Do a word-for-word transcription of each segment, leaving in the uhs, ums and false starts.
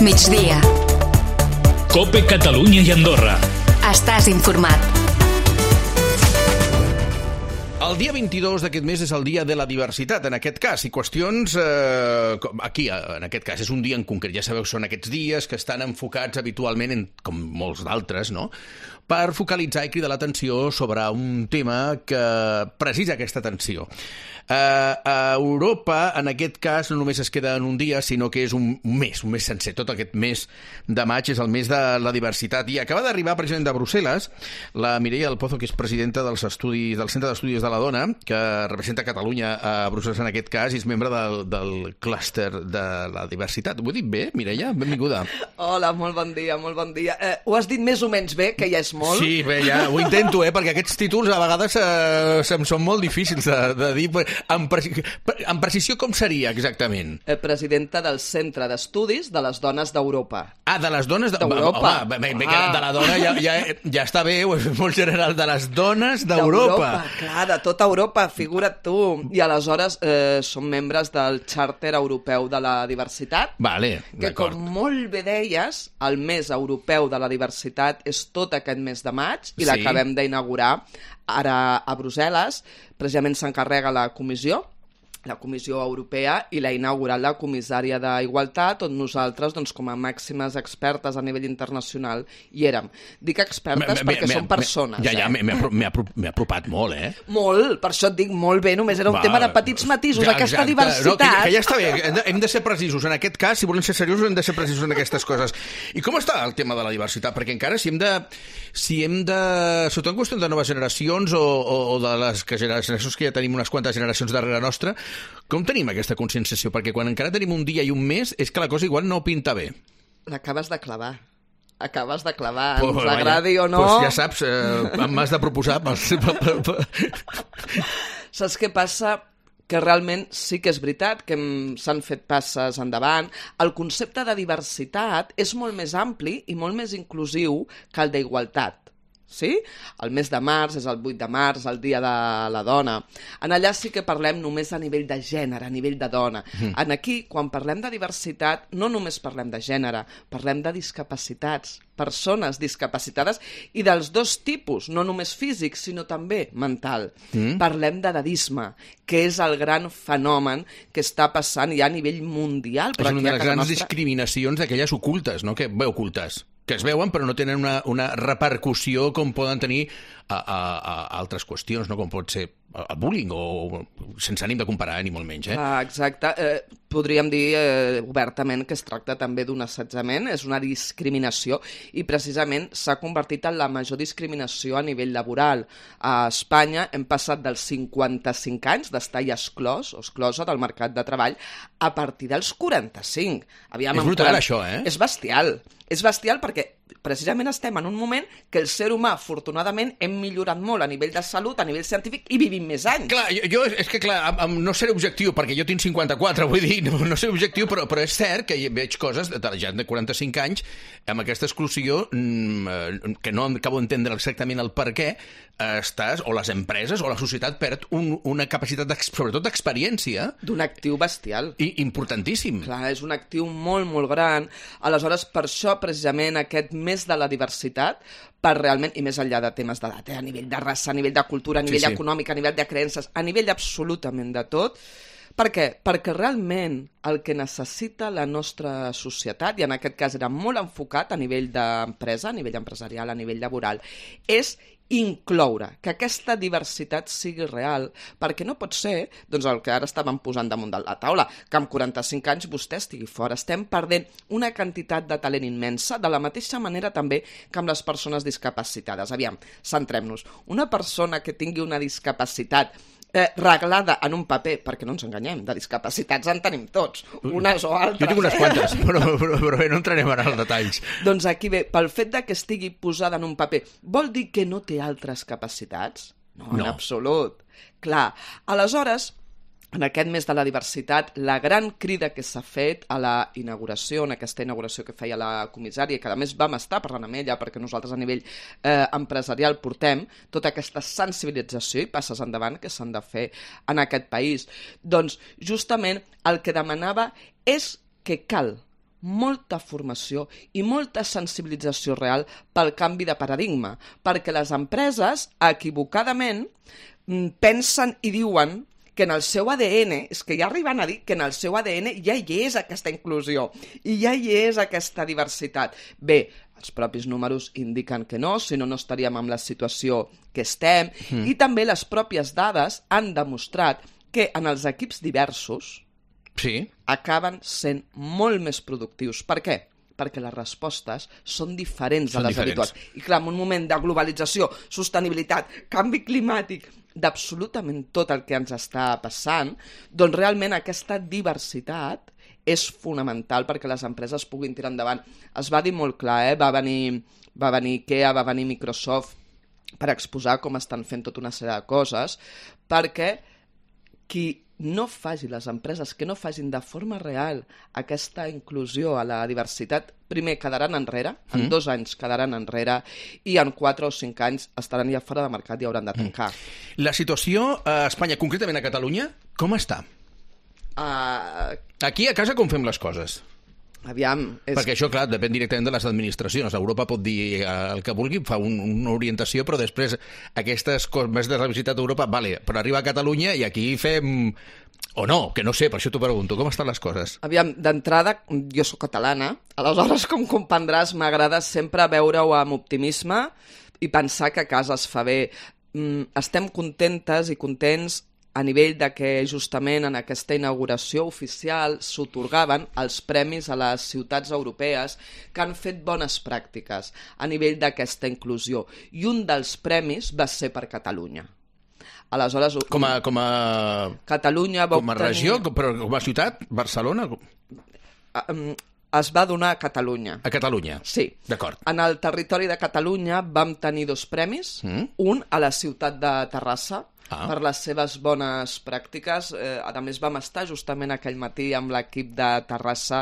migdia. COPE Catalunya i Andorra. Estàs informat. El dia vint-i-dos d'aquest mes és el dia de la diversitat, en aquest cas, i qüestions... Eh, aquí, en aquest cas, és un dia en concret. Ja sabeu, són aquests dies que estan enfocats habitualment, en, com molts d'altres, no?, per focalitzar i cridar l'atenció sobre un tema que precisa aquesta atenció. Eh, a Europa, en aquest cas, no només es queda en un dia, sinó que és un mes, un mes sencer. Tot aquest mes de maig és el mes de la diversitat. I acaba d'arribar, precisament de Brussel·les, la Mireia del Pozo, que és presidenta dels estudis, del Centre d'Estudis de la Dona, que representa Catalunya a Brussel·les en aquest cas, i és membre del, del clúster de la diversitat. Ho he dit bé, Mireia? Benvinguda. Hola, molt bon dia, molt bon dia. Eh, ho has dit més o menys bé, que ja és molt. Sí, bé, ja ho intento, eh, perquè aquests títols a vegades eh, se'm són molt difícils de, de dir. Amb, preci amb precisió, com seria exactament? Eh, presidenta del Centre d'Estudis de les Dones d'Europa. Ah, de les dones d'Europa. Home, bé, bé, ah. de la dona ja, ja, ja està bé, és molt general, de les dones d'Europa. Clar, de tota Europa, figura't tu. I aleshores eh, som membres del Xàrter Europeu de la Diversitat, vale, que com molt bé deies, el mes europeu de la diversitat és tot aquest mes de maig i sí, l'acabem d'inaugurar ara a Brussel·les. Precisament s'encarrega la comissió, la Comissió Europea, i l'ha inaugurat la comissària d'Igualtat, on nosaltres, doncs, com a màximes expertes a nivell internacional, hi érem. Dic expertes m perquè són persones. Ja, ja, eh? m'he apropat molt, eh? Molt, per això et dic molt bé, només era un Va, tema de petits matisos, ja, aquesta exacte. diversitat. No, que, que ja està bé, hem de ser precisos. En aquest cas, si volem ser seriosos, hem de ser precisos en aquestes coses. I com està el tema de la diversitat? Perquè encara si hem de... Si hem de... Sobretot en qüestió de noves generacions o, o, o de les que generacions que ja tenim unes quantes generacions darrere nostra, com tenim aquesta conscienciació? Perquè quan encara tenim un dia i un mes és que la cosa igual no pinta bé. L'acabes de clavar. Acabes de clavar, pues, ens agradi o no... Pues ja saps, eh, m'has de proposar... Saps què passa? Que realment sí que és veritat que s'han fet passes endavant. El concepte de diversitat és molt més ampli i molt més inclusiu que el d'igualtat. Sí? El mes de març és el vuit de març, el dia de la dona. En allà sí que parlem només a nivell de gènere, a nivell de dona. Mm. En aquí, quan parlem de diversitat, no només parlem de gènere, parlem de discapacitats, persones discapacitades i dels dos tipus, no només físic, sinó també mental. Mm. Parlem d'edadisme, que és el gran fenomen que està passant ja a nivell mundial. És una de les grans nostra... discriminacions d'aquelles ocultes, no? Que bé, ocultes. Que es veuen però no tenen una, una repercussió com poden tenir a, a, a altres qüestions, no? Com pot ser el bullying, o sense ànim de comparar, ni molt menys. Eh? Ah, exacte. Eh, podríem dir eh, obertament que es tracta també d'un assetjament, és una discriminació, i precisament s'ha convertit en la major discriminació a nivell laboral. A Espanya hem passat dels cinquanta-cinc anys d'estar ja exclòs o exclosa del mercat de treball a partir dels quaranta-cinc. Aviam, és brutal, això, eh? És bestial. És bestial perquè precisament estem en un moment que el ser humà, afortunadament, hem millorat molt a nivell de salut, a nivell científic, i vivim més anys. Clar, jo, jo és que, clar, no seré objectiu, perquè jo tinc cinquanta-quatre, vull dir, no, no seré objectiu, però, però és cert que veig coses de la gent de quaranta-cinc anys amb aquesta exclusió que no acabo d'entendre exactament el per què estàs, o les empreses o la societat perd un, una capacitat, sobretot d'experiència. D'un actiu bestial. I importantíssim. Clar, és un actiu molt, molt gran. Aleshores, per això, precisament, aquest mes de la diversitat, per realment, i més enllà de temes d'edat, eh, a nivell de raça, a nivell de cultura, a nivell sí, sí. econòmic, a nivell de creences, a nivell absolutament de tot. Per què? Perquè realment el que necessita la nostra societat, i en aquest cas era molt enfocat a nivell d'empresa, a nivell empresarial, a nivell laboral, és incloure, que aquesta diversitat sigui real, perquè no pot ser, doncs el que ara estàvem posant damunt de la taula, que amb quaranta-cinc anys vostè estigui fora. Estem perdent una quantitat de talent immensa, de la mateixa manera també que amb les persones discapacitades. Aviam, centrem-nos. Una persona que tingui una discapacitat Eh, reglada en un paper, perquè no ens enganyem, de discapacitats en tenim tots, unes o altres. Jo tinc unes quantes, però, però, però bé, no entrarem ara als detalls. Doncs aquí bé, pel fet de que estigui posada en un paper, vol dir que no té altres capacitats? No, no. En absolut. Clar, aleshores, en aquest mes de la diversitat, la gran crida que s'ha fet a la inauguració, en aquesta inauguració que feia la comissària, que a més vam estar parlant amb ella, perquè nosaltres a nivell eh, empresarial portem tota aquesta sensibilització i passes endavant que s'han de fer en aquest país. Doncs justament el que demanava és que cal molta formació i molta sensibilització real pel canvi de paradigma, perquè les empreses, equivocadament, pensen i diuen que en el seu A D N, és que ja arriben a dir que en el seu A D N ja hi és aquesta inclusió i ja hi és aquesta diversitat. Bé, els propis números indiquen que no, si no, no estaríem en la situació que estem, mm. i també les pròpies dades han demostrat que en els equips diversos sí. acaben sent molt més productius. Per què? Perquè les respostes són diferents són a les diferents. habituals. I clar, en un moment de globalització, sostenibilitat, canvi climàtic, d'absolutament tot el que ens està passant, doncs realment aquesta diversitat és fonamental perquè les empreses puguin tirar endavant. Es va dir molt clar, eh? va, venir, va venir IKEA, va venir Microsoft per exposar com estan fent tota una sèrie de coses, perquè qui no faci, les empreses que no facin de forma real aquesta inclusió a la diversitat, primer quedaran enrere, en mm. dos anys quedaran enrere, i en quatre o cinc anys estaran ja fora de mercat i hauran de tancar. Mm. La situació a Espanya, concretament a Catalunya, com està? Uh... Aquí a casa com fem les coses? Aviam... És... Perquè això, clar, depèn directament de les administracions. Europa pot dir el que vulgui, fa un, una orientació, però després aquestes coses més de la visitat a Europa, vale, però arriba a Catalunya i aquí fem... O no, que no sé, per això t'ho pregunto. Com estan les coses? Aviam, d'entrada, jo sóc catalana, aleshores, com comprendràs, m'agrada sempre veure-ho amb optimisme i pensar que a casa es fa bé. Estem contentes i contents a nivell de que justament en aquesta inauguració oficial s'atorgaven els premis a les ciutats europees que han fet bones pràctiques a nivell d'aquesta inclusió. I un dels premis va ser per Catalunya. Aleshores, com a, com a... Catalunya va com a regió, obtenir... però com a ciutat? Barcelona? Es va donar a Catalunya. A Catalunya? Sí. D'acord. En el territori de Catalunya vam tenir dos premis, mm. un a la ciutat de Terrassa, ah. per les seves bones pràctiques. Eh, a més, vam estar justament aquell matí amb l'equip de Terrassa,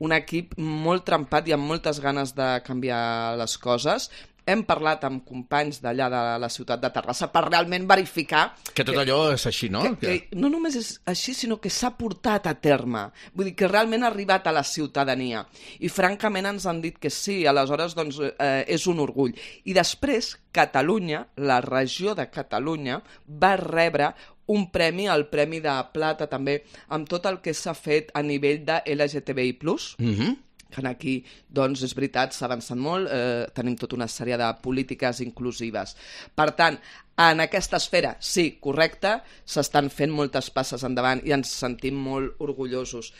un equip molt trempat i amb moltes ganes de canviar les coses. Hem parlat amb companys d'allà de la ciutat de Terrassa per realment verificar... Que tot que, allò és així, no? Que, que no només és així, sinó que s'ha portat a terme. Vull dir, que realment ha arribat a la ciutadania. I francament ens han dit que sí, aleshores doncs, eh, és un orgull. I després, Catalunya, la regió de Catalunya, va rebre un premi, el Premi de Plata també, amb tot el que s'ha fet a nivell de L G T B I plus, mm-hmm. que aquí, doncs, és veritat, s'ha avançat molt, eh, tenim tota una sèrie de polítiques inclusives. Per tant, en aquesta esfera, sí, correcte, s'estan fent moltes passes endavant i ens sentim molt orgullosos.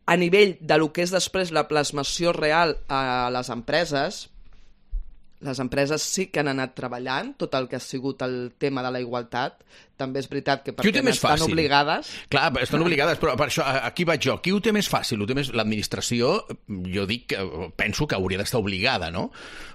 A nivell de lo que és després la plasmació real a les empreses, les empreses sí que han anat treballant tot el que ha sigut el tema de la igualtat. També és veritat que perquè estan obligades... Clar, estan obligades, però per això, aquí vaig jo. Qui ho té més fàcil? Ho té més... L'administració, jo dic, penso que hauria d'estar obligada, no?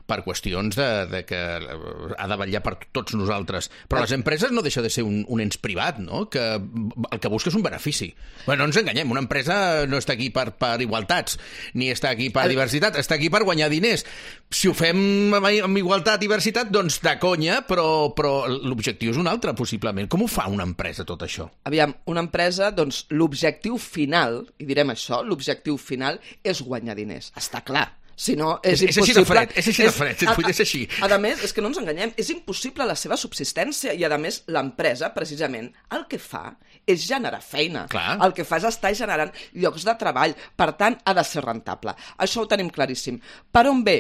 Per qüestions de, de que ha de vetllar per tots nosaltres. Però les empreses no deixa de ser un, un ens privat, no? Que el que busca és un benefici. Bé, no ens enganyem, una empresa no està aquí per, per igualtats, ni està aquí per diversitat, està aquí per guanyar diners. Si ho fem amb igualtat i diversitat, doncs de conya, però, però l'objectiu és un altre, possiblement. Com ho fa una empresa, tot això? Aviam, una empresa, doncs, l'objectiu final, i direm això, l'objectiu final és guanyar diners. Està clar. Si no, és, és impossible... És així de fred, és així de fred, és, a, és així. A, a més, és que no ens enganyem, és impossible la seva subsistència i, a més, l'empresa, precisament, el que fa és generar feina. Clar. El que fa és estar generant llocs de treball. Per tant, ha de ser rentable. Això ho tenim claríssim. Per on ve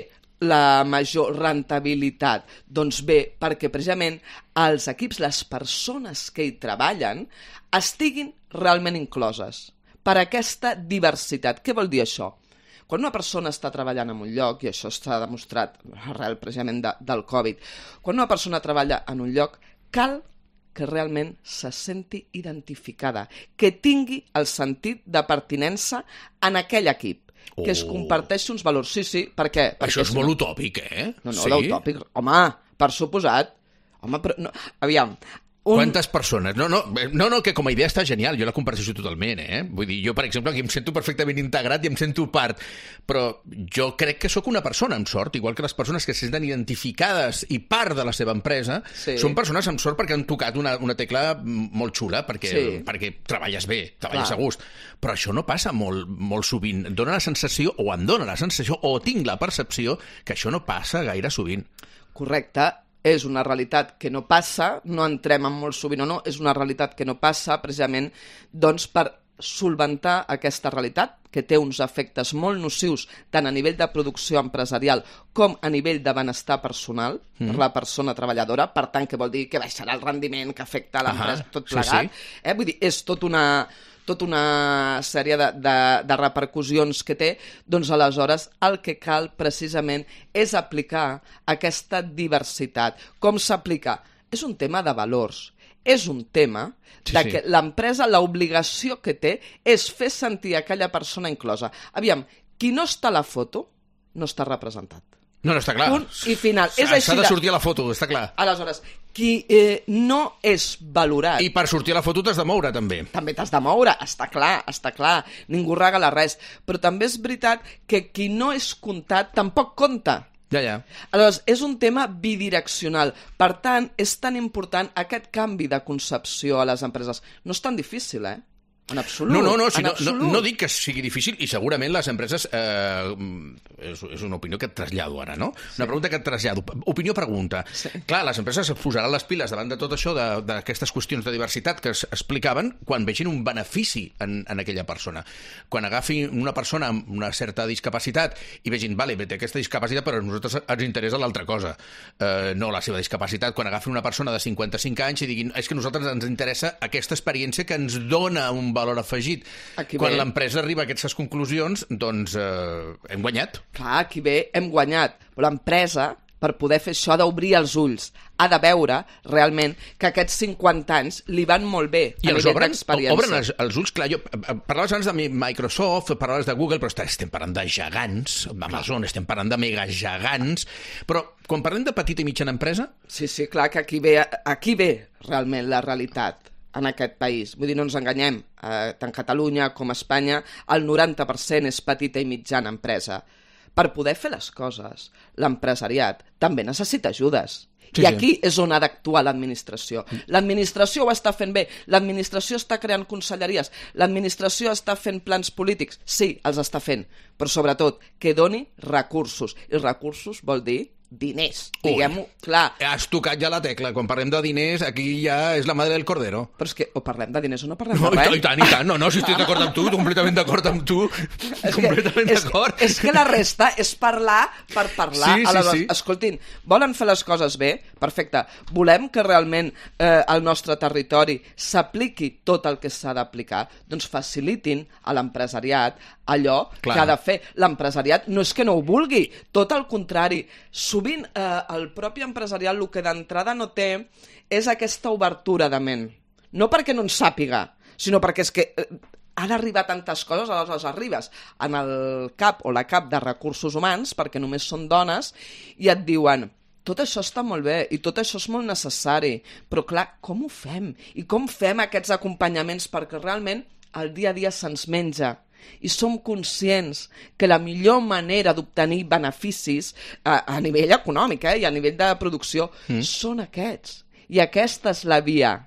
la major rentabilitat? Doncs bé, perquè precisament els equips, les persones que hi treballen, estiguin realment incloses per aquesta diversitat. Què vol dir això? Quan una persona està treballant en un lloc, i això s'ha demostrat arrel precisament de, del Covid, quan una persona treballa en un lloc, cal que realment se senti identificada, que tingui el sentit de pertinença en aquell equip, que oh. es comparteixi uns valors. Sí, sí, per què? Perquè això és si molt no... utòpic, eh? No, no, sí? l'utòpic, home, per suposat. Home, però no... Aviam, Un... Quantes persones? No, no, no, no, que com a idea està genial, jo la comparteixo totalment, eh? Vull dir, jo, per exemple, aquí em sento perfectament integrat i em sento part, però jo crec que sóc una persona amb sort, igual que les persones que se senten identificades i part de la seva empresa, sí. Són persones amb sort perquè han tocat una, una tecla molt xula, perquè, sí. perquè treballes bé, treballes Clar. A gust, però això no passa molt, molt sovint. Dóna la sensació, o em dóna la sensació, o tinc la percepció que això no passa gaire sovint. Correcte. És una realitat que no passa, no entrem en molt sovint o no, és una realitat que no passa precisament doncs, per solventar aquesta realitat, que té uns efectes molt nocius tant a nivell de producció empresarial com a nivell de benestar personal mm. per la persona treballadora, per tant, que vol dir que baixarà el rendiment, que afecta a l'empresa, tot plegat. Sí, sí. Eh? Vull dir, és tot una... tota una sèrie de, de, de repercussions que té, doncs aleshores el que cal precisament és aplicar aquesta diversitat. Com s'aplica? És un tema de valors, és un tema sí, de que sí. L'empresa, l'obligació que té és fer sentir aquella persona inclosa. Aviam, qui no està a la foto no està representat. No, no, està clar. Punt i final. És S'ha de sortir a la foto, està clar. Aleshores, qui eh, no és valorat... I per sortir a la foto t'has de moure, també. També t'has de moure, està clar, està clar. Ningú regala res. Però també és veritat que qui no és comptat tampoc compta. Ja, ja. Aleshores, és un tema bidireccional. Per tant, és tan important aquest canvi de concepció a les empreses. No és tan difícil, eh? En absolut. No, no, no, si en no, no, no dic que sigui difícil i segurament les empreses... Eh, és, és una opinió que et trasllado ara, no? Sí. Una pregunta que et trasllado. Opinió-pregunta. Sí. Clar, les empreses es posaran les piles davant de tot això, d'aquestes qüestions de diversitat que es explicaven quan vegin un benefici en, en aquella persona. Quan agafin una persona amb una certa discapacitat i vegin, vale, té aquesta discapacitat, però a nosaltres ens interessa l'altra cosa. Eh, no la seva discapacitat. Quan agafin una persona de cinquanta-cinc anys i diguin, és que a nosaltres ens interessa aquesta experiència que ens dona un valor afegit. Aquí Quan l'empresa arriba a aquestes conclusions, doncs eh, hem guanyat. Clar, aquí ve, hem guanyat. Però l'empresa, per poder fer això, ha d'obrir els ulls. Ha de veure, realment, que aquests cinquanta anys li van molt bé I a nivell d'experiència. I obren els, els ulls, clar, jo parlaves abans de Microsoft, parlaves de Google, però estem parlant de gegants, Amazon, estem parlant de megagegants, però quan parlem de petita i mitjana empresa... Sí, sí, clar, que aquí ve, aquí ve realment la realitat en aquest país. Vull dir, no ens enganyem, eh, tant Catalunya com Espanya, el noranta per cent és petita i mitjana empresa. Per poder fer les coses, l'empresariat també necessita ajudes. Sí, I aquí sí. és on ha d'actuar l'administració. L'administració ho està fent bé, l'administració està creant conselleries, l'administració està fent plans polítics, sí, els està fent, però sobretot que doni recursos. I recursos vol dir diners, diguem-ho, clar. Has tocat ja la tecla, quan parlem de diners, aquí ja és la madre del cordero. Però és que o parlem de diners o no parlem no, de res. I tant, i tant, no, no, si estic d'acord amb tu, completament d'acord amb tu, és completament que, d'acord. És, és que la resta és parlar per parlar. Sí, sí, Aleshores, sí. Escoltin, volen fer les coses bé? Perfecte. Volem que realment eh, al nostre territori s'apliqui tot el que s'ha d'aplicar? Doncs facilitin a l'empresariat allò Clar. Que ha de fer. L'empresariat no és que no ho vulgui, tot el contrari. Sovint eh, el propi empresariat el que d'entrada no té és aquesta obertura de ment. No perquè no en sàpiga, sinó perquè és que eh, ha d'arribar tantes coses, aleshores arribes en el cap o la cap de recursos humans, perquè només són dones, i et diuen... Tot això està molt bé i tot això és molt necessari, però clar, com ho fem? I com fem aquests acompanyaments perquè realment el dia a dia se'ns menja? I som conscients que la millor manera d'obtenir beneficis a, a nivell econòmic eh, i a nivell de producció mm. són aquests. I aquesta és la via.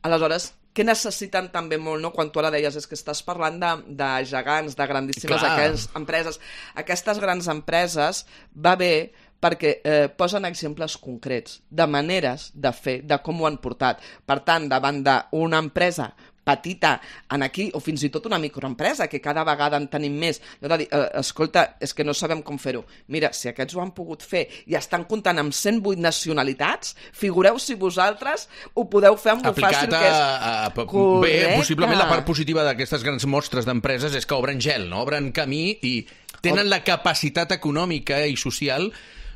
Aleshores, què necessiten també molt, no? Quan tu ara deies és que estàs parlant de, de gegants, de grandíssimes aquelles empreses. Aquestes grans empreses va bé perquè eh, posen exemples concrets de maneres de fer, de com ho han portat. Per tant, davant d'una empresa petita en aquí, o fins i tot una microempresa, que cada vegada en tenim més, no de dir, eh, escolta, és que no sabem com fer-ho. Mira, si aquests ho han pogut fer i estan comptant amb cent vuit nacionalitats, figureu si vosaltres ho podeu fer amb lo fàcil que és. A, a, bé, possiblement la part positiva d'aquestes grans mostres d'empreses és que obren gel, no? Obren camí i tenen la capacitat econòmica i social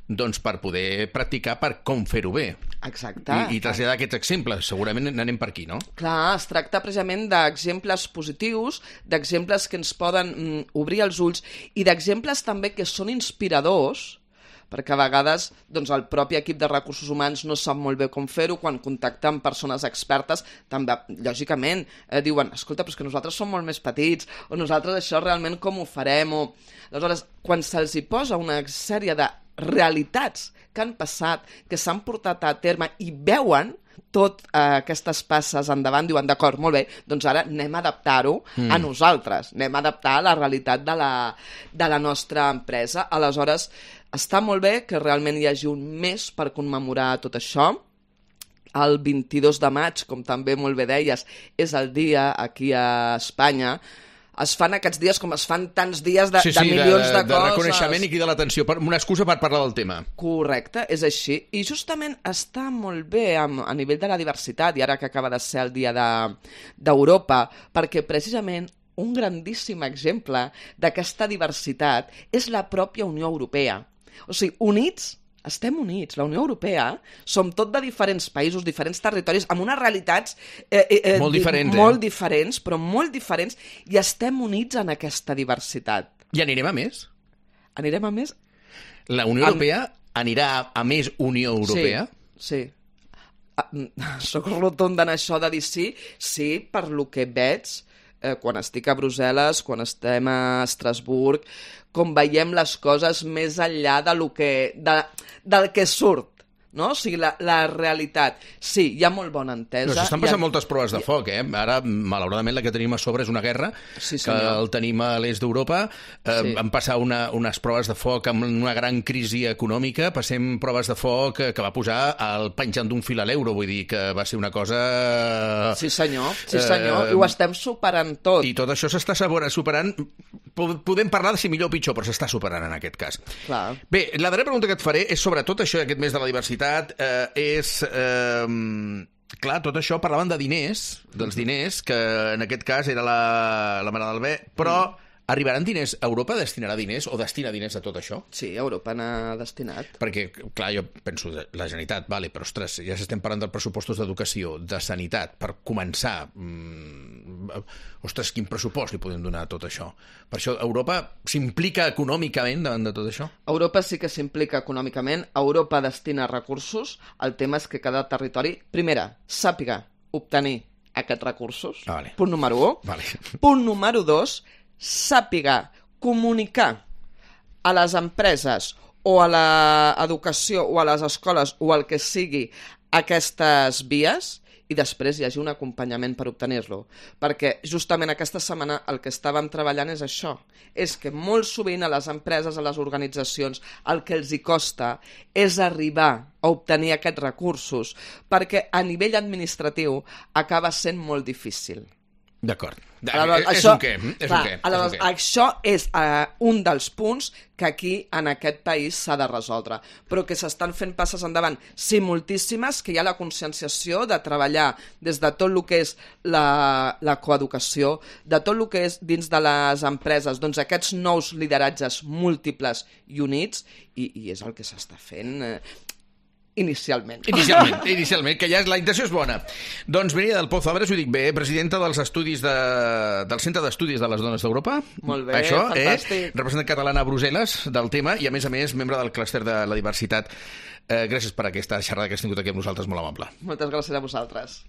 doncs per poder practicar per com fer-ho bé. Exacte. I, i traslladar aquests exemples. Segurament n'anem per aquí, no? Clar, es tracta precisament d'exemples positius, d'exemples que ens poden mm, obrir els ulls i d'exemples també que són inspiradors perquè a vegades doncs, el propi equip de recursos humans no sap molt bé com fer-ho, quan contacta amb persones expertes, també, lògicament, eh, diuen, escolta, però és que nosaltres som molt més petits, o nosaltres això realment com ho farem, o... Aleshores, quan se'ls hi posa una sèrie de realitats que han passat, que s'han portat a terme i veuen tot eh, aquestes passes endavant, diuen, d'acord, molt bé, doncs ara anem a adaptar-ho mm. a nosaltres, anem a adaptar a la realitat de la, de la nostra empresa. Aleshores, està molt bé que realment hi hagi un mes per commemorar tot això. El vint-i-dos de maig, com també molt bé deies, és el dia aquí a Espanya. Es fan aquests dies com es fan tants dies de, sí, sí, de milions de, de, de, de coses. De reconeixement i crida l'atenció, una excusa per parlar del tema. Correcte, és així. I justament està molt bé a, a nivell de la diversitat, i ara que acaba de ser el dia d'Europa, de, perquè precisament un grandíssim exemple d'aquesta diversitat és la pròpia Unió Europea. O sigui, units... Estem units. La Unió Europea som tot de diferents països, diferents territoris, amb unes realitats eh, eh, molt diferents, di molt eh? diferents, però molt diferents, i estem units en aquesta diversitat. I anirem a més? Anirem a més? La Unió Europea en... anirà a més Unió Europea? Sí, sí. Soc rotunda en això de dir sí, sí, per lo que veig, eh, quan estic a Brussel·les, quan estem a Estrasburg, com veiem les coses més enllà de lo que, de, del que surt, no? O sigui, la, la realitat. Sí, hi ha molt bona entesa. No, s'estan passant ha... moltes proves de foc, eh? Ara, malauradament, la que tenim a sobre és una guerra, sí, que el tenim a l'est d'Europa. Eh, sí. Vam passar una, unes proves de foc amb una gran crisi econòmica, passem proves de foc que va posar el penjant d'un fil a l'euro, vull dir que va ser una cosa... Sí, senyor, sí, senyor, eh... i ho estem superant tot. I tot això s'està superant... Podem parlar de si millor o pitjor, però s'està superant en aquest cas. Clar. Bé, la darrera pregunta que et faré és sobre tot això aquest mes de la diversitat. Eh, és... Eh, clar, tot això parlaven de diners, dels diners, que en aquest cas era la, la Mare del Bé, però mm. arribaran diners? Europa destinarà diners o destina diners a tot això? Sí, Europa n'ha destinat. Perquè, clar, jo penso, la Generalitat, vale, però, ostres, ja s'estem parlant dels pressupostos d'educació, de sanitat, per començar... Mmm, ostres, quin pressupost li podem donar a tot això? Per això, Europa s'implica econòmicament davant de tot això? Europa sí que s'implica econòmicament, Europa destina recursos, el tema és que cada territori, primera, sàpiga obtenir aquests recursos, ah, vale. Punt número u. Vale. Punt número dos, sàpiga comunicar a les empreses o a l'educació o a les escoles o el que sigui aquestes vies, i després hi hagi un acompanyament per obtenir-lo. Perquè justament aquesta setmana el que estàvem treballant és això, és que molt sovint a les empreses, a les organitzacions, el que els hi costa és arribar a obtenir aquests recursos, perquè a nivell administratiu acaba sent molt difícil. D'acord. Aleshores, és això, un què? És clar, un què? Aleshores, és un què? això és uh, un dels punts que aquí, en aquest país, s'ha de resoldre. Però que s'estan fent passes endavant. Sí, moltíssimes, que hi ha la conscienciació de treballar des de tot el que és la, la coeducació, de tot el que és dins de les empreses, doncs aquests nous lideratges múltiples i units, i, i és el que s'està fent... Eh, Inicialment. Inicialment, inicialment, que ja és, la intenció és bona. Doncs Mireia del Pozo Abres, ho dic bé, presidenta dels estudis de, del Centre d'Estudis de les Dones d'Europa. Molt bé, això, fantàstic. Eh? Representant catalana a Brussel·les del tema i, a més a més, membre del clúster de la diversitat. Eh, gràcies per aquesta xerrada que has tingut aquí amb nosaltres, molt amable. Moltes gràcies a vosaltres.